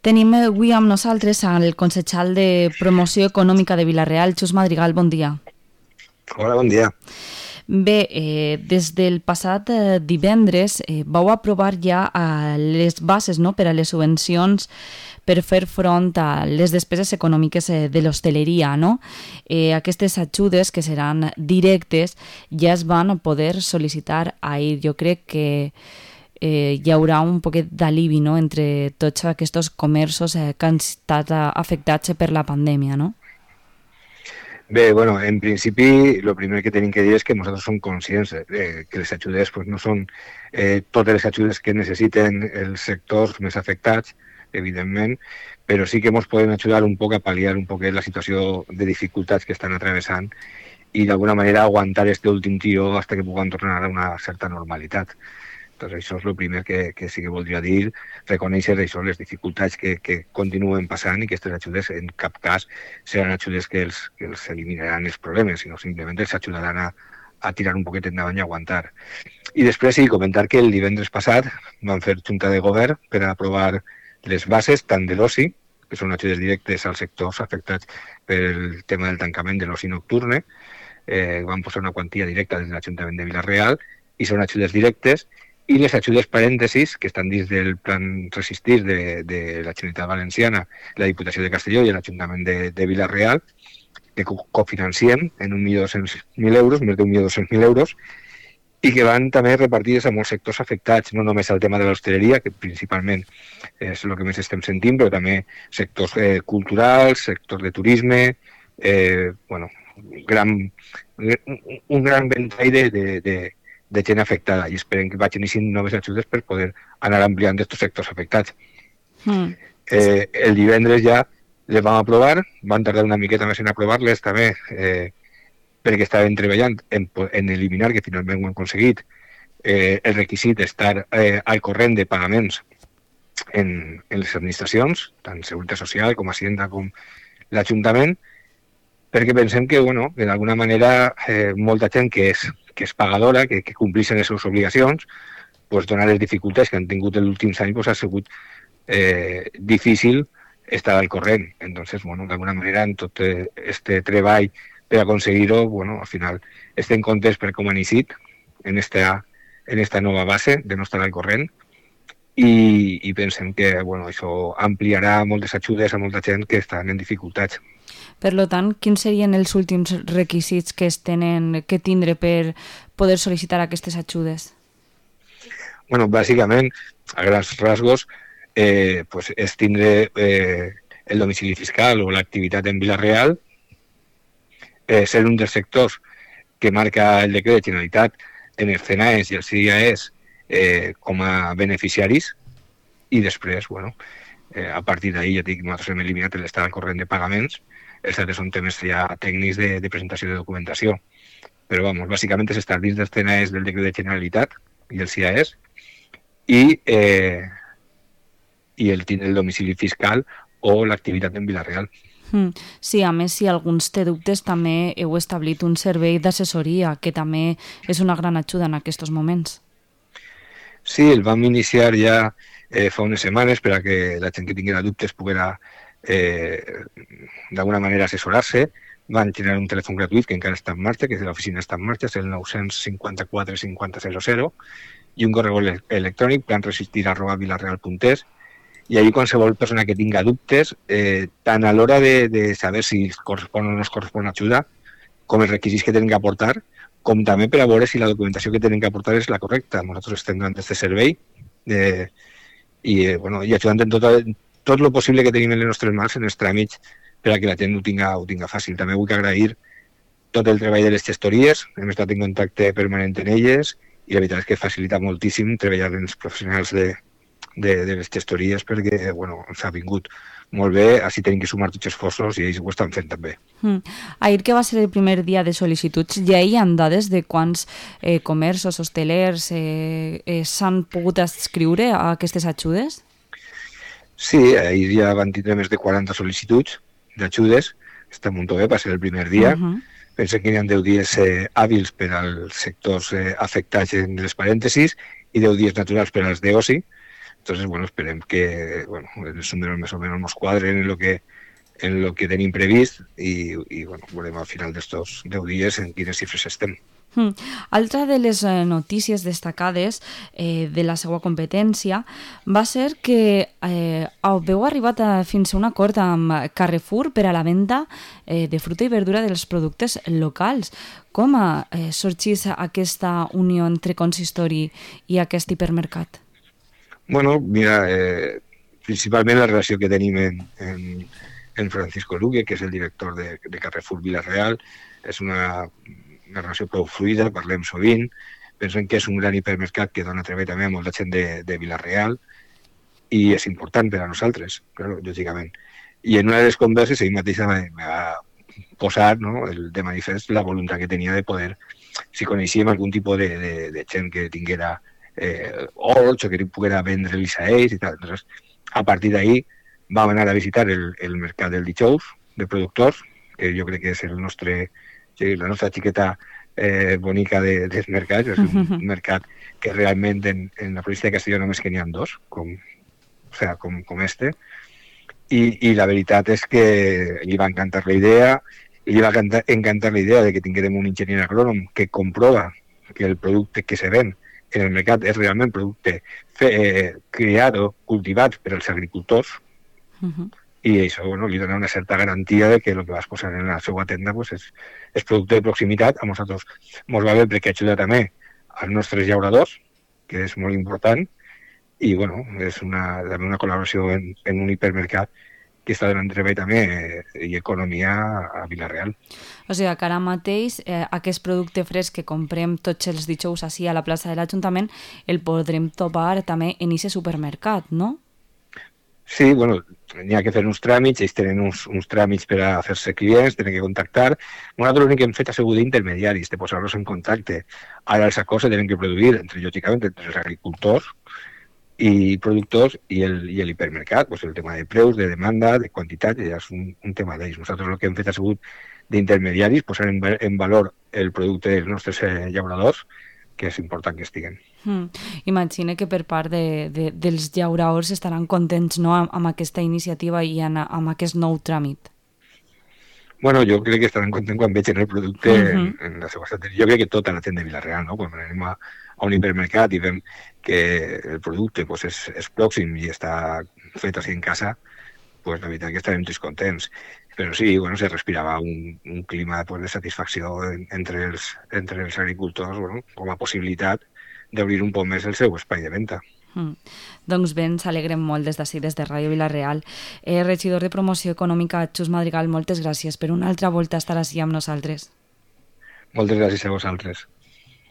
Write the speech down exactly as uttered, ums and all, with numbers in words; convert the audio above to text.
Tenim avui amb nosaltres el concejal de Promoció Econòmica de Vila-real, Xus Madrigal, bon dia. Hola, bon dia. Bé, eh, des del passat eh, divendres eh, vau aprovar ja eh, les bases, no?, per a les subvencions per fer front a les despeses econòmiques eh, de l'hostaleria, no? Eh, aquestes ajudes, que seran directes, ja es van poder sol·licitar ahir. Jo crec que eh, hi haurà un poquet d'alivi, no?, entre tots aquests comerços eh, que han estat afectats per la pandèmia, no? Bé, bueno, en principi, el primer que tenim que dir és que nosaltres som conscients eh, que les ajudes pues, no són eh, totes les ajudes que necessiten els sectors més afectats, evidentment, però sí que ens poden ajudar un poc a pal·liar un poc la situació de dificultats que estan atravessant i d'alguna manera aguantar este últim tiro fins que puguem tornar a una certa normalitat. Doncs això és el primer que, que sí que voldria dir, reconèixer això, les dificultats que, que continuen passant i que aquestes ajudes en cap cas seran ajudes que els, que els eliminaran els problemes, sinó simplement els ajudaran a, a tirar un poquet endavant i aguantar. I després sí, comentar que el divendres passat vam fer junta de govern per a aprovar les bases tant de l'oci, que són ajudes directes als sectors afectats pel tema del tancament de l'oci nocturne, eh, vam posar una quantia directa des de l'Ajuntament de Vila-real i són ajudes directes, i les ajudes parèntesis, que estan dins del plan Resistir de, de la Generalitat Valenciana, la Diputació de Castelló i l'Ajuntament de, de Vila-real, que cofinanciem en un milió dos-cents mil euros, més d'un milió dos-cents mil euros, i que van també repartides a molts sectors afectats, no només al tema de l'hostaleria, que principalment és el que més estem sentint, però també sectors eh, culturals, sectors de turisme, eh, bueno, gran, un gran ventall de, de, de, de gent afectada, i esperem que vagin iniciant noves ajudes per poder anar ampliant aquests sectors afectats. Mm. Eh, el divendres ja les vam aprovar, van tardar una miqueta més en aprovar-les també, eh, perquè estaven treballant en, en eliminar, que finalment ho han aconseguit, eh, el requisit d'estar eh, al corrent de pagaments en, en les administracions, tant Seguretat Social com Hacienda com l'Ajuntament, perquè pensem que, bueno, que d'alguna manera eh, molta gent que és, que és pagadora, que, que complixen les seves obligacions, pues, donar les dificultats que han tingut els últims anys, pues, ha sigut eh, difícil estar al corrent. Entonces, bueno, d'alguna manera, en tot este treball per aconseguir-ho, bueno, al final estem contents per com han iniciat en esta, en esta nova base de no estar al corrent i, i pensem que, bueno, això ampliarà moltes ajudes a molta gent que estan en dificultats. Per tant, quins serien els últims requisits que es tenen que tindre per poder sol·licitar aquestes ajudes? Bueno, bàsicament, a grans rasgos, eh, pues és tindre eh, el domicili fiscal o l'activitat en Vila-real, eh, ser un dels sectors que marca el decret de Generalitat en els C N A E S i els C I A E S eh, com a beneficiaris, i després, bueno, eh, a partir d'ahir ja dic, nosaltres hem eliminat l'estat al corrent de pagaments. Els altres són temes ja tècnics de, de presentació de documentació. Però, vamos, bàsicament és estar dins dels C N A E S del decret de Generalitat i el C I A E S i, eh, i el, el domicili fiscal o l'activitat en Vila-real. Sí, a més, si alguns té dubtes, també heu establit un servei d'assessoria, que també és una gran ajuda en aquests moments. Sí, el vam iniciar ja eh, fa unes setmanes per a que la gent que tinguera dubtes poguera eh, d'alguna manera assessorar-se. Van generar un telèfon gratuït que encara està en marxa, que és de l'oficina està en marxa, és el nou cinquanta-quatre cinquanta zero zero, i un correu electrònic, planresistir arroba vilareal punt es, i ahir qualsevol persona que tinga dubtes, eh, tant a l'hora de, de saber si correspon o no es correspon ajuda, com els requisits que tenen que aportar, com també per a veure si la documentació que tenen que aportar és la correcta. Nosaltres estem donant aquest servei eh, i, eh, bueno, i ajudant en tot, tot el possible que tenim en les nostres mans en els tràmits per a que la gent ho tinga, ho tinga fàcil. També vull agrair tot el treball de les gestories, hem estat en contacte permanent amb elles i la veritat és que facilita moltíssim treballar amb els professionals de De, de les gestories perquè, bueno, s'ha vingut molt bé, així tenim que sumar tots els esforços i ells ho estan fent també. Mm. Ahir, que va ser el primer dia de sol·licituds, ja hi ha dades de quants eh, comerços, hostelers eh, eh, s'han pogut adscriure a aquestes ajudes? Sí, ahir ja van tindre més de quaranta sol·licituds d'ajudes, està molt bé, va ser el primer dia. Uh-huh. Pensem que hi ha deu dies eh, hàbils per als sectors eh, afectats en les parèntesis i deu dies naturals per als d'oci. Entonces, bueno, esperem que bueno, els números més o menys ens quadren en lo que, en lo que tenim previst i, i bueno, veurem al final d'estos deu dies en quines xifres estem. Mm. Altra de les notícies destacades eh, de la seva competència va ser que eh, heu arribat a, fins a un acord amb Carrefour per a la venda eh, de fruita i verdura dels productes locals. Com ha eh, sorgit aquesta unió entre consistori i aquest hipermercat? Bueno, mira, eh, principalment la relació que tenim en, en, en Francisco Luque, que és el director de, de Carrefour Vila-real, és una una relació prou fluida, parlem sovint, pensem que és un gran hipermercat que dona treball també a molta gent de, de Vila-real i és important per a nosaltres, claro, lògicament. I en una de les converses ell mateix va posar, no, el de manifest la voluntat que tenia de poder, si coneixíem algun tipus de, de, de gent que tinguera eh, horts o que poguera vendre-los a ells i tal. Entonces, a partir d'ahí vam anar a visitar el, el mercat del dijous de productors, que jo crec que és el nostre Sí, la nostra xiqueta eh, bonica de, dels mercats, és un uh-huh. mercat que realment en, en la província de Castelló només que n'hi ha dos, com, o sea, com, com este, I, i la veritat és que li va encantar la idea, i li va encantar, encantar la idea de que tinguérem un enginyer agrònom que comprova que el producte que se ven en el mercat és realment producte fe, eh, creat o cultivat per als agricultors, uh-huh. i això bueno, li dona una certa garantia de que el que vas posar en la seva tenda pues, és, és producte de proximitat. A nosaltres ens va bé perquè ajuda també als nostres llauradors, que és molt important, i bueno, és una, també una col·laboració en, en un hipermercat que està donant treball també eh, i economia a Vila-real. O sigui que ara mateix eh, aquest producte fresc que comprem tots els dijous així a la plaça de l'Ajuntament el podrem trobar també en aquest supermercat, no? Sí, bueno, n'hi ha que fer uns tràmits, ells tenen uns, uns tràmits per a fer-se clients, tenen que contactar. Nosaltres l'únic que hem fet ha sigut d'intermediaris, de posar-los en contacte. Ara els acords se tenen que produir, entre, lògicament, entre els agricultors i productors i el, i el hipermercat, pues el tema de preus, de demanda, de quantitat, ja és un, un tema d'ells. Nosaltres el que hem fet ha sigut d'intermediaris, posar en, en valor el producte dels nostres eh, llauradors, que és important que estiguen. Mm. Imagina que per part de, de, dels llauradors estaran contents, no, amb, amb aquesta iniciativa i amb, amb aquest nou tràmit. Bueno, jo crec que estaran contents quan vegin el producte uh-huh. en, en la seva estanteria. Jo crec que tota la gent de Vila-real, no? Quan anem a, a un hipermercat i veiem que el producte pues, és, és pròxim i està fet així en casa, pues, la veritat que estarem tots contents. Però sí, bueno, se respirava un, un clima pues, de satisfacció entre els, entre els agricultors, bueno, com a possibilitat d'obrir un poc més el seu espai de venda. Mm. Doncs bé, ens alegrem molt des d'ací, des de Ràdio Vila-real. Eh, regidor de Promoció Econòmica, Xus Madrigal, moltes gràcies per una altra volta estar així amb nosaltres. Moltes gràcies a vosaltres.